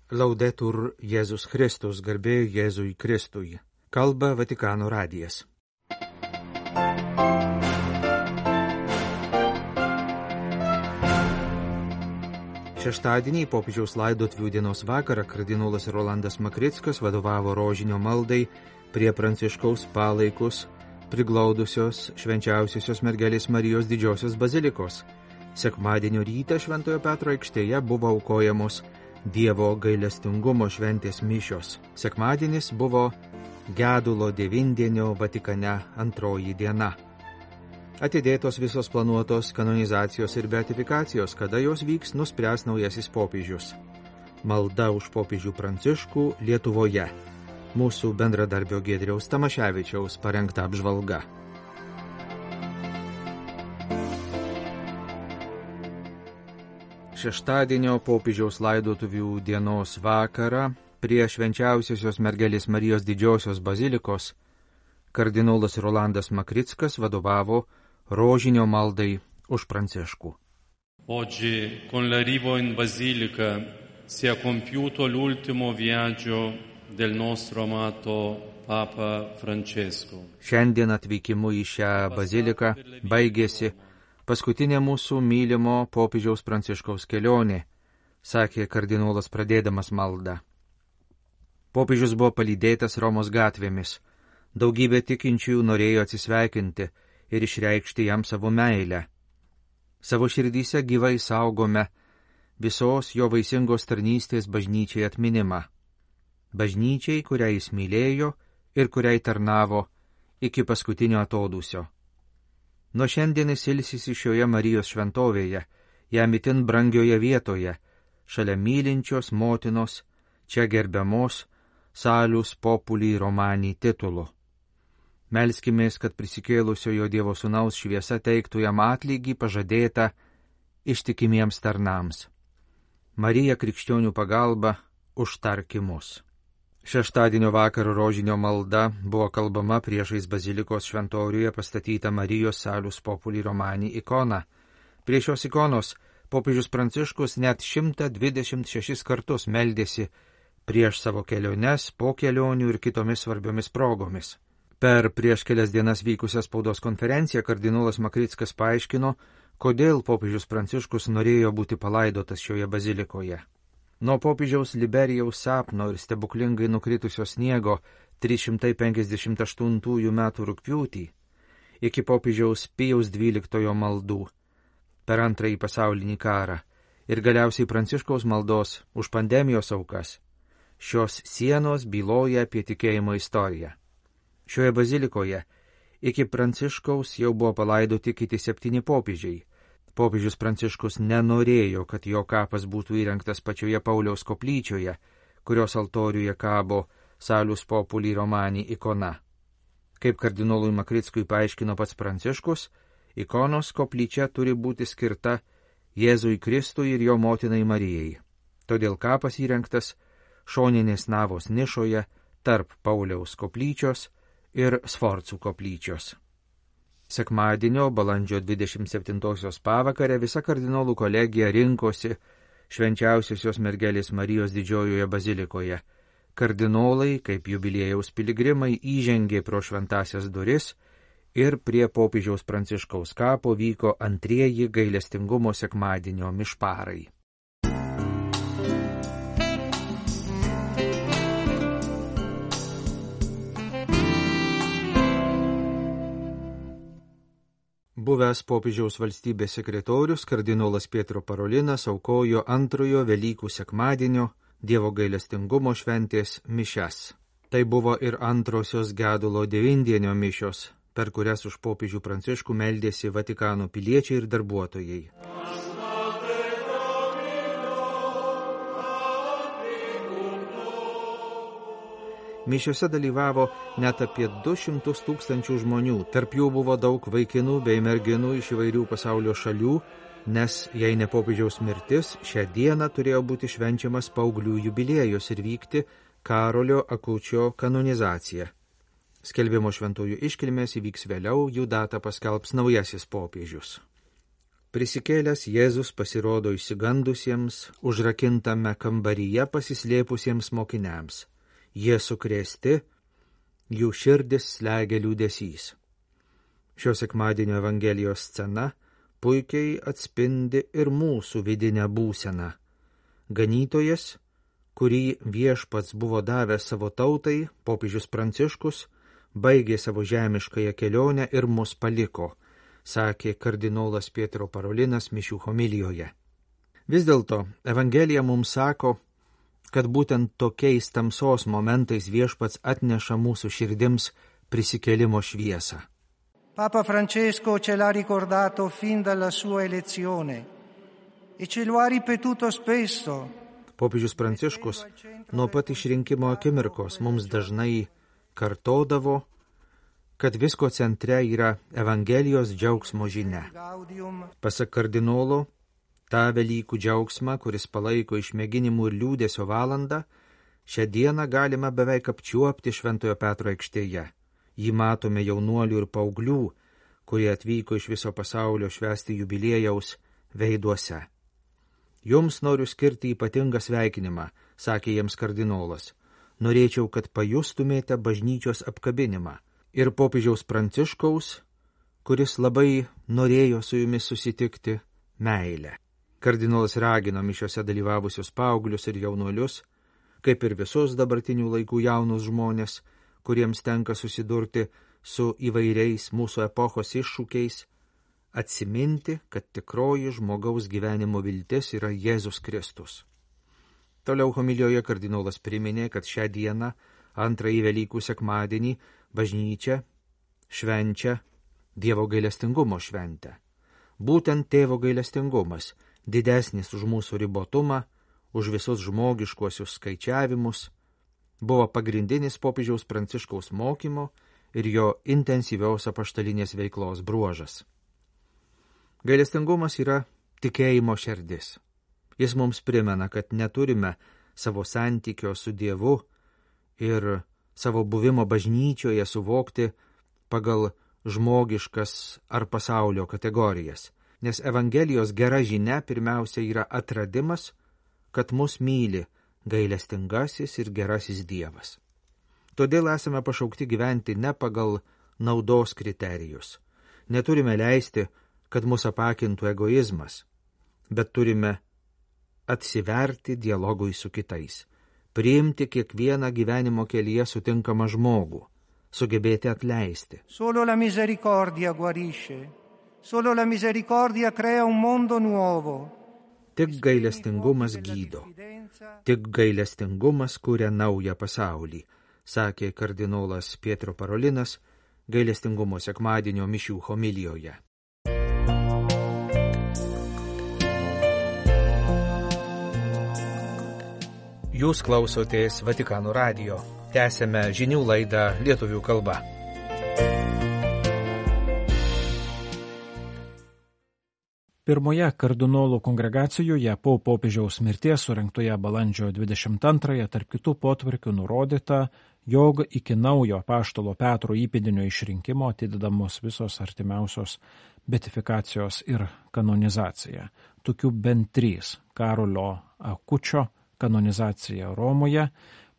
Laudetur Jėzus Kristus, garbė Jėzui Kristui. Kalba Vatikano radijas. Šeštadienį popiežiaus laidotvių dienos vakarą kardinolas Rolandas Makrickas vadovavo rožinio maldai prie Pranciškaus palaikus priglaudusios švenčiausiosios mergelės Marijos didžiosios bazilikos. Sekmadienio rytą Šventojo Petro aikštėje buvo aukojamos Dievo gailestingumo šventės mišios. Sekmadienis buvo gedulo devindienio Vatikane antroji diena. Atidėtos visos planuotos kanonizacijos ir beatifikacijos, kada jos vyks, nuspręs naujasis popiežius. Malda už popiežių Pranciškų Lietuvoje. Mūsų bendradarbio Giedriaus Tamaševičiaus parengta apžvalga. Šeštadienio popiežiaus laidotuvių dienos vakarą prie švenčiausiosios mergelės Marijos didžiosios bazilikos kardinolas Rolandas Makrickas vadovavo rožinio maldai už Pranciškų. Oggi con l'arrivo in basilica si è compiuto l'ultimo viaggio del nostro amato Papa Francesco. Šiandien atvykimu į šią baziliką baigėsi paskutinė mūsų mylimo popiežiaus Pranciškaus kelionė, sakė kardinolas pradėdamas maldą. Popiežius buvo palydėtas Romos gatvėmis. Daugybė tikinčiųjų norėjo atsisveikinti ir išreikšti jam savo meilę. Savo širdyse gyvai saugome visos jo vaisingos tarnystės bažnyčiai atminimą. Bažnyčiai, kurią jis mylėjo ir kuriai tarnavo iki paskutinio atodūsio. Nuo šiandien jis ilsisi šioje Marijos šventovėje, jam itin brangioje vietoje, šalia mylinčios motinos, čia gerbiamos Salus Populi Romani titulu. Melskimės, kad prisikėlusiojo Dievo Sūnaus šviesa teiktų jam atlygį pažadėtą ištikimiems tarnams. Marija krikščionių pagalba užtarki mus. Šeštadienio vakaro rožinio malda buvo kalbama priešais bazilikos šventoriuje pastatytą Marijos Salus Populi Romani ikoną. Prie šios ikonos popiežius Pranciškus net 126 kartus meldėsi prieš savo keliones, po kelionių ir kitomis svarbiomis progomis. Per prieš kelias dienas vykusią spaudos konferenciją kardinolas Makrickas paaiškino, kodėl popiežius Pranciškus norėjo būti palaidotas šioje bazilikoje. Nuo popiežiaus Liberijaus sapno ir stebuklingai nukritusio sniego 358 metų rugpjūtį iki popiežiaus Pijaus XII maldų per antrąjį pasaulinį karą ir galiausiai Pranciškaus maldos už pandemijos aukas, šios sienos byloja apie tikėjimo istoriją. Šioje bazilikoje iki Pranciškaus jau buvo palaidoti kiti 7 popiežiai. Popiežius Pranciškus nenorėjo, kad jo kapas būtų įrengtas pačioje Pauliaus koplyčioje, kurios altoriuje kabo Salus Populi Romani ikona. Kaip kardinolui Makrickui paaiškino pats Pranciškus, ikonos koplyčia turi būti skirta Jėzui Kristui ir jo motinai Marijai. Todėl kapas įrengtas šoninės navos nišoje tarp Pauliaus koplyčios ir Sforcų koplyčios. Sekmadienio, balandžio 27 pavakarę visa kardinolų kolegija rinkosi švenčiausiosios mergelės Marijos didžiojoje bazilikoje. Kardinolai, kaip jubiliejaus piligrimai, įžengė pro šventasias duris ir prie popiežiaus Pranciškaus kapo vyko antrieji gailestingumo sekmadienio mišparai. Buvęs popiežiaus valstybės sekretorius kardinolas Pietro Parolinas aukojo antrojo Velykų sekmadienio Dievo gailestingumo šventės mišias. Tai buvo ir antrosios gedulo devindienio mišios, per kurias už popiežių Pranciškų meldėsi Vatikano piliečiai ir darbuotojai. Mišiose dalyvavo net apie 200 000 žmonių, tarp jų buvo daug vaikinų bei merginų iš įvairių pasaulio šalių, nes jei ne popiežiaus mirtis, šią dieną turėjo būti švenčiamas paauglių jubiliejus ir vykti Karolio Akučio kanonizacija. Skelbimo šventųjų iškilmės įvyks vėliau, jų datą paskelbs naujasis popiežius. Prisikėlęs Jėzus pasirodo išsigandusiems, užrakintame kambaryje pasislėpusiems mokiniams. Jie sukrėsti, jų širdis slegia liūdesys. Šio sekmadienio Evangelijos scena puikiai atspindi ir mūsų vidinę būseną. Ganytojas, kurį Viešpats buvo davęs savo tautai, popiežius Pranciškus, baigė savo žemiškąją kelionę ir mus paliko, sakė kardinolas Pietro Parolinas mišių homilijoje. Vis dėlto Evangelija mums sako, kad būtent tokiais tamsos momentais Viešpats atneša mūsų širdims prisikėlimo šviesą. Papa Francesco ce l'ha ricordato fin dalla sua elezione e ce lo ha ripetuto spesso. Popiežius Pranciškus nuo pat išrinkimo akimirkos mums dažnai kartodavo, kad visko centre yra Evangelijos džiaugsmo žinia. Pasak kardinolo, tą Velykų džiaugsmą, kuris palaiko išmėginimų ir liūdesio valandą, šią dieną galima beveik apčiuopti Šventojo Petro aikštėje. Jį matome jaunuolių ir paauglių, kurie atvyko iš viso pasaulio švęsti jubiliejaus veiduose. Jums noriu skirti ypatingą sveikinimą, sakė jiems kardinolas. Norėčiau, kad pajustumėte bažnyčios apkabinimą. Ir popiežiaus Pranciškaus, kuris labai norėjo su jumis susitikti, meilę. Kardinolas ragino mišiose dalyvavusius paauglius ir jaunuolius, kaip ir visus dabartinių laikų jaunus žmonės, kuriems tenka susidurti su įvairiais mūsų epochos iššūkiais, atsiminti, kad tikroji žmogaus gyvenimo viltis yra Jėzus Kristus. Toliau homilijoje kardinolas priminė, kad šią dieną, antrąjį Velykų sekmadienį, bažnyčia švenčia Dievo gailestingumo šventę. Būtent tėvo gailestingumas, didesnis už mūsų ribotumą, už visus žmogiškuosius skaičiavimus, buvo pagrindinis popiežiaus Pranciškaus mokymo ir jo intensyvios apaštalinės veiklos bruožas. Gailestingumas yra tikėjimo širdis. Jis mums primena, kad neturime savo santykio su Dievu ir savo buvimo bažnyčioje suvokti pagal žmogiškas ar pasaulio kategorijas, nes Evangelijos gera žinia pirmiausia yra atradimas, kad mus myli gailestingasis ir gerasis Dievas. Todėl esame pašaukti gyventi ne pagal naudos kriterijus. Neturime leisti, kad mus apakintų egoizmas, bet turime atsiverti dialogui su kitais, priimti kiekvieną gyvenimo kelyje sutinkamą žmogų, sugebėti atleisti. Solo la misericordia guarisce, solo la misericordia crea un mondo nuovo. Tik gailestingumas gydo, tik gailestingumas kuria naują pasaulį, sakė kardinolas Pietro Parolinas gailestingumo sekmadienio mišių homilijoje. Jūs klausotės Vatikano radijo. Tęsėme žinių laidą lietuvių kalba. Pirmoje kardinolų kongregacijoje po popiežiaus mirties surengtoje balandžio 22 tarp kitų potvarkių nurodyta, jog iki naujo apaštalo Petro įpėdinio išrinkimo atidedamos visos artimiausios beatifikacijos ir kanonizacija. Tokių bent 3 – Karolio Akučio kanonizacija Romoje,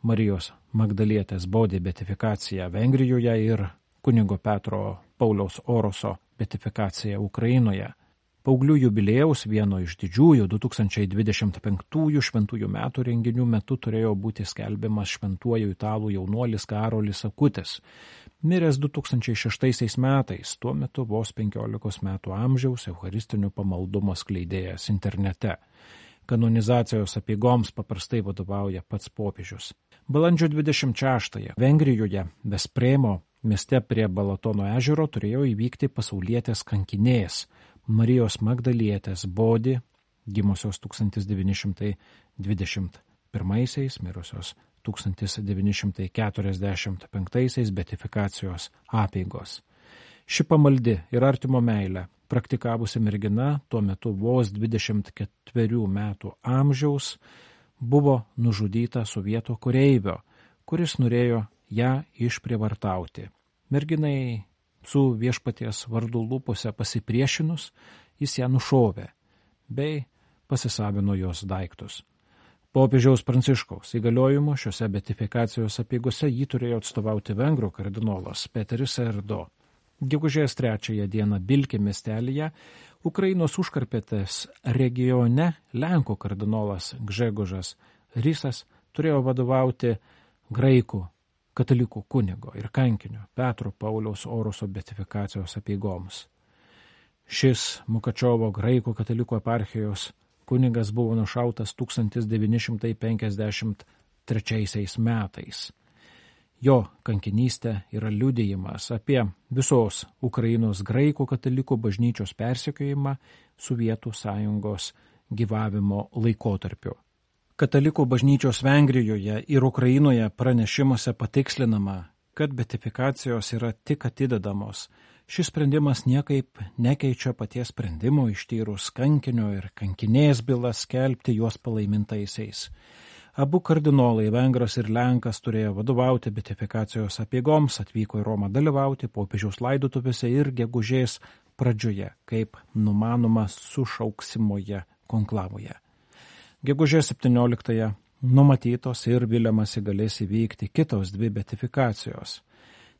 Marijos Magdalietės Bodį beatifikacija Vengrijoje ir kunigo Petro Pauliaus Oroso beatifikacija Ukrainoje. Paauglių jubiliejaus vieno iš didžiųjų 2025 šventųjų metų renginių metu turėjo būti skelbiamas šventuoju italų jaunuolis Karolis Akutis, miręs 2006 metais, tuo metu vos 15 metų amžiaus eucharistinių pamaldumų skleidėjas internete. Kanonizacijos apeigoms paprastai vadovauja pats popiežius. Balandžio 26 Vengrijoje, Vespremo mieste prie Balatono ežero turėjo įvykti pasaulietės kankinės Marijos Magdalietės Bodį, gimusios 1921, mirusios 1945 beatifikacijos apeigos. Ši pamaldi ir artimo meilę praktikavusi mergina, tuo metu vos 24 metų amžiaus, buvo nužudyta sovietų kareivio, kuris norėjo ją išprievartauti. Merginai su viešpaties vardu lūpose pasipriešinus, jis ją nušovė bei pasisavino jos daiktus. Popiežiaus Pranciškaus įgaliojimu šiuose beatifikacijos apeigose jį turėjo atstovauti vengrų kardinolas Peteris Erdo. Gegužės 3 dieną Bilki miestelyje Ukrainos užkarpėtės regione Lenkų kardinolas Gžegožas Rysas turėjo vadovauti graikų katalikų kunigo ir kankinio Petro Pauliaus Oroso beatifikacijos apeigoms. Šis Mukačiovo graikų katalikų eparchijos kunigas buvo nušautas 1953 metais. Jo kankinystė yra liudijimas apie visos Ukrainos graikų katalikų bažnyčios persekiojimą Sovietų sąjungos gyvavimo laikotarpiu. Katalikų bažnyčios Vengrijoje ir Ukrainoje pranešimuose patikslinama, kad beatifikacijos yra tik atidedamos. Šis sprendimas niekaip nekeičia paties sprendimo ištyrus kankinio ir kankinės bylas skelbti juos palaimintaisiais. Abu kardinolai, vengras ir lenkas, turėjo vadovauti beatifikacijos apeigoms, atvyko į Romą dalyvauti popiežiaus laidotuvėse ir gegužės pradžioje, kaip numanoma sušauksimoje konklavoje. Gegužės 17 numatytos ir viliamasi galės įvykti kitos 2 beatifikacijos.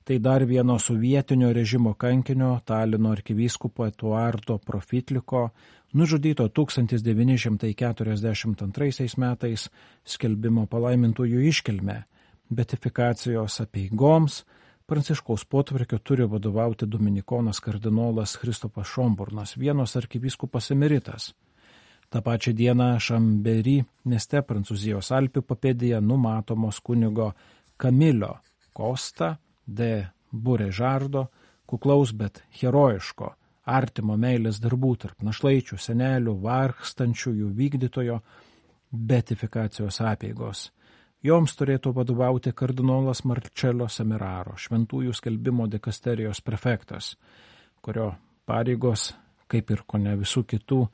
Tai dar vieno sovietinio režimo kankinio, Talino arkivyskupo Eduardo Profitliko, nužudyto 1942 metais skelbimo palaimintųjų iškilme. Beatifikacijos apeigoms Pranciškaus potvarkio turi vadovauti dominikonas kardinolas Kristopas Šomburnas, Vienos arkivyskupas emeritas. Ta pačia diena Šambery mieste Prancūzijos Alpių papėdėje numatomos kunigo Kamilio Kosta de Burežardo, kuklaus, bet herojiško, artimo meilės darbų tarp našlaičių, senelių, vargstančiųjų vykdytojo beatifikacijos apeigos. Joms turėtų vadovauti kardinolas Marcello Semeraro, šventųjų skelbimo dikasterijos prefektas, kurio pareigos, kaip ir kone visų kitų,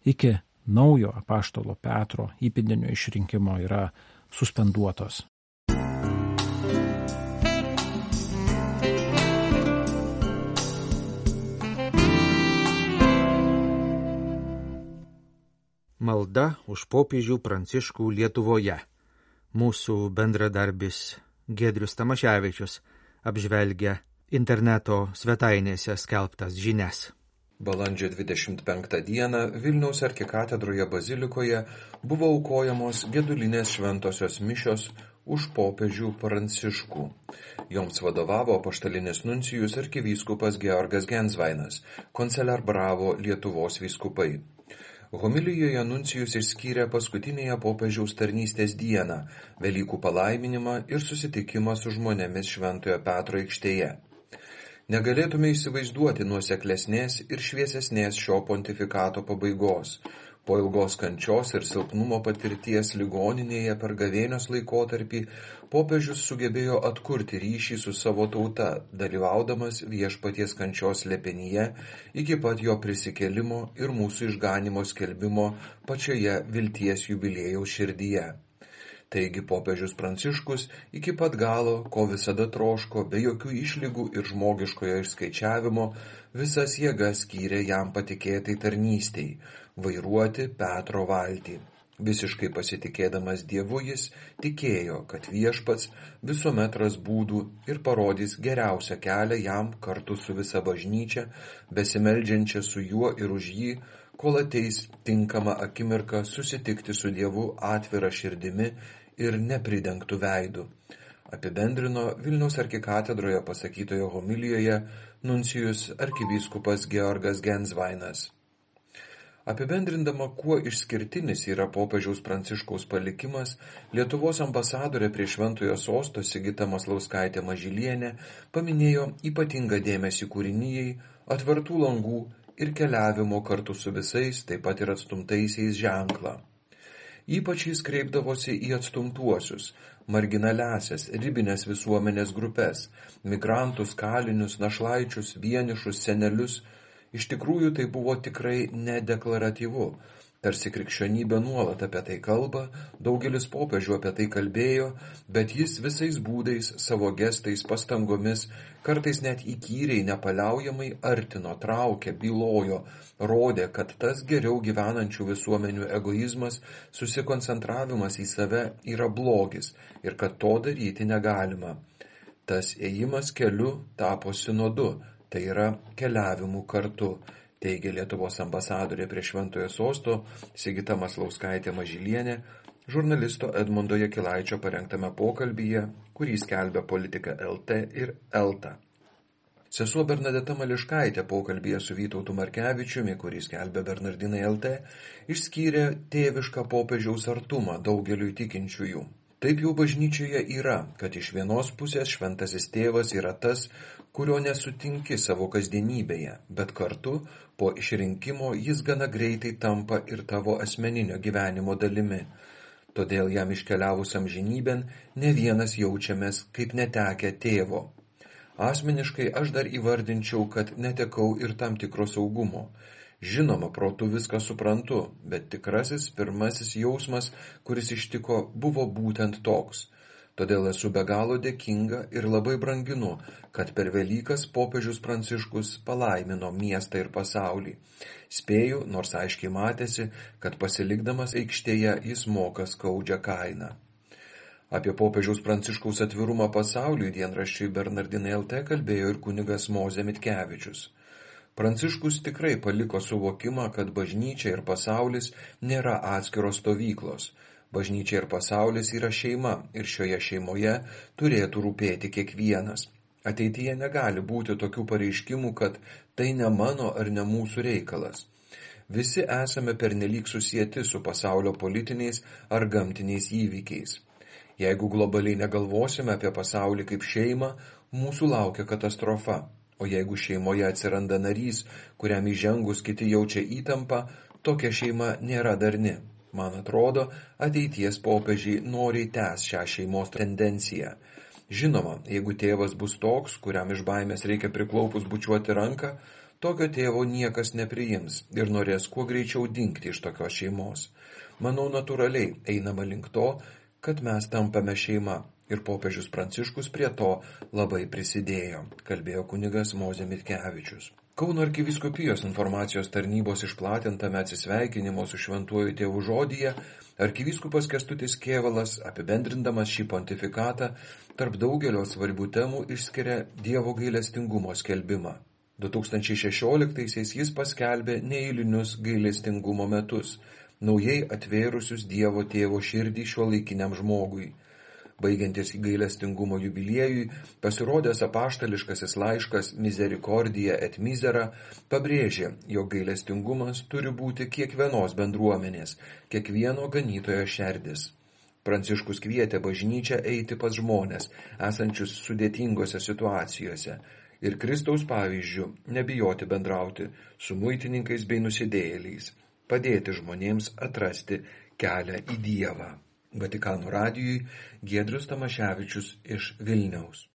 iki naujo apaštalo Petro įpėdinio išrinkimo yra suspenduotos. Malda už popiežių Pranciškų Lietuvoje. Mūsų bendradarbis Giedrius Tamaševičius apžvelgia interneto svetainėse skelbtas žinias. Balandžio 25 dieną Vilniaus arkikatedroje bazilikoje buvo aukojamos gedulinės šventosios mišios už popiežių Pranciškų. Joms vadovavo apaštalinis nuncijus arkivyskupas Georgas Gensvainas, koncelerbravo Lietuvos vyskupai. Homilijoje nuncijus išskyrė paskutinėje popiežiaus tarnystės dieną, Velykų palaiminimą ir susitikimą su žmonėmis Šventojo Petro aikštėje. Negalėtume įsivaizduoti nuoseklesnės ir šviesesnės šio pontifikato pabaigos. Po ilgos kančios ir silpnumo patirties ligoninėje per gavėnios laikotarpį popiežius sugebėjo atkurti ryšį su savo tauta, dalyvaudamas viešpaties kančios slėpinyje iki pat jo prisikėlimo ir mūsų išganymo skelbimo pačioje vilties jubiliejaus širdyje. Taigi popiežius Pranciškus iki pat galo, ko visada troško, be jokių išlygų ir žmogiškojo išskaičiavimo, visas jėgas skyrė jam patikėtai tarnystei – vairuoti Petro valtį. Visiškai pasitikėdamas Dievu jis tikėjo, kad viešpats visuomet ras būdų ir parodys geriausią kelią jam kartu su visa bažnyčia, besimeldžiančia su juo ir už jį, kol ateis tinkama akimirka susitikti su Dievu atvira širdimi ir nepridengtų veidų. Apibendrino Vilniaus arkikatedroje pasakytoje homilijoje nuncijus arkivyskupas Georgas Gensvainas. Apibendrindama, kuo išskirtinis yra popiežiaus Pranciškaus palikimas, Lietuvos ambasadorė prie Šventojo sosto Sigita Maslauskaitė Mažylienė paminėjo ypatingą dėmesį kūrinijai, atvertų langų ir keliavimo kartu su visais, taip pat ir atstumtaisiais ženklą. Ypač jis kreipdavosi į atstumtuosius, marginaliasias, ribinės visuomenės grupės, migrantus, kalinius, našlaičius, vienišus, senelius. Iš tikrųjų tai buvo tikrai nedeklaratyvu. Tarsi krikščionybė nuolat apie tai kalba, daugelis popiežių apie tai kalbėjo, bet jis visais būdais, savo gestais, pastangomis, kartais net įkyriai, nepaliaujamai artino, traukė, bylojo, rodė, kad tas geriau gyvenančių visuomenių egoizmas, susikoncentravimas į save yra blogis ir kad to daryti negalima. Tas ėjimas keliu tapo sinodu, tai yra keliavimu kartu, teigia Lietuvos ambasadorė prie Šventojo Sosto Sigita Maslauskaitė Mažylienė žurnalisto Edmundo Jakilaičio parengtame pokalbyje, kurį skelbia Politika LT ir ELTA. Sesuo Bernadeta Mališkaitė pokalbyje su Vytautu Markevičiumi, kurį skelbia Bernardinai LT, išskyrė tėvišką popiežiaus artumą daugeliui tikinčiųjų. Taip jau bažnyčioje yra, kad iš vienos pusės šventasis tėvas yra tas, kurio nesutinki savo kasdienybėje, bet kartu po išrinkimo jis gana greitai tampa ir tavo asmeninio gyvenimo dalimi. Todėl jam iškeliavus amžinybėn ne vienas jaučiamės kaip netekę tėvo. Asmeniškai aš dar įvardinčiau, kad netekau ir tam tikro saugumo. Žinoma, protu viską suprantu, bet tikrasis pirmasis jausmas, kuris ištiko, buvo būtent toks. Todėl esu be galo dėkinga ir labai branginu, kad per Velykas popiežius Pranciškus palaimino miestą ir pasaulį. Spėju, nors aiškiai matėsi, kad pasilikdamas aikštėje jis moka skaudžią kainą. Apie popiežiaus Pranciškaus atvirumą pasauliui dienraščiui Bernardinai LT kalbėjo ir kunigas Mozė Mitkevičius. Pranciškus tikrai paliko suvokimą, kad bažnyčia ir pasaulis nėra atskiros stovyklos. Bažnyčia ir pasaulis yra šeima ir šioje šeimoje turėtų rūpėti kiekvienas. Ateityje negali būti tokių pareiškimų, kad tai ne mano ar ne mūsų reikalas. Visi esame pernelyg susieti su pasaulio politiniais ar gamtiniais įvykiais. Jeigu globaliai negalvosime apie pasaulį kaip šeimą, mūsų laukia katastrofa. O jeigu šeimoje atsiranda narys, kuriam įžengus kiti jaučia įtampą, tokia šeima nėra darni. Man atrodo, ateities popiežiai noriai tęs šią šeimos tendenciją. Žinoma, jeigu tėvas bus toks, kuriam iš baimės reikia priklaupus bučiuoti ranką, tokio tėvo niekas nepriims ir norės kuo greičiau dingti iš tokios šeimos. Manau, natūraliai einama link to, kad mes tampame šeima. Ir popiežius Pranciškus prie to labai prisidėjo, kalbėjo kunigas Mozė Mitkevičius. Kauno arkivyskupijos informacijos tarnybos išplatintame atsisveikinimo su šventuoju tėvu žodyje arkivyskupas Kęstutis Kėvalas, apibendrindamas šį pontifikatą, tarp daugelio svarbių temų išskiria Dievo gailestingumo skelbimą. 2016-aisiais jis paskelbė neeilinius gailestingumo metus, naujai atvėrusius Dievo tėvo širdį šiuolaikiniam žmogui. Baigiantis gailestingumo jubiliejui, pasirodęs apaštališkasis laiškas Misericordia et Misera pabrėžė, jog gailestingumas turi būti kiekvienos bendruomenės, kiekvieno ganytojo šerdis. Pranciškus kvietė bažnyčią eiti pas žmones, esančius sudėtingose situacijose, ir Kristaus pavyzdžiu nebijoti bendrauti su muitininkais bei nusidėjėliais, padėti žmonėms atrasti kelią į Dievą. Vatikano radijui Giedrius Tamaševičius iš Vilniaus.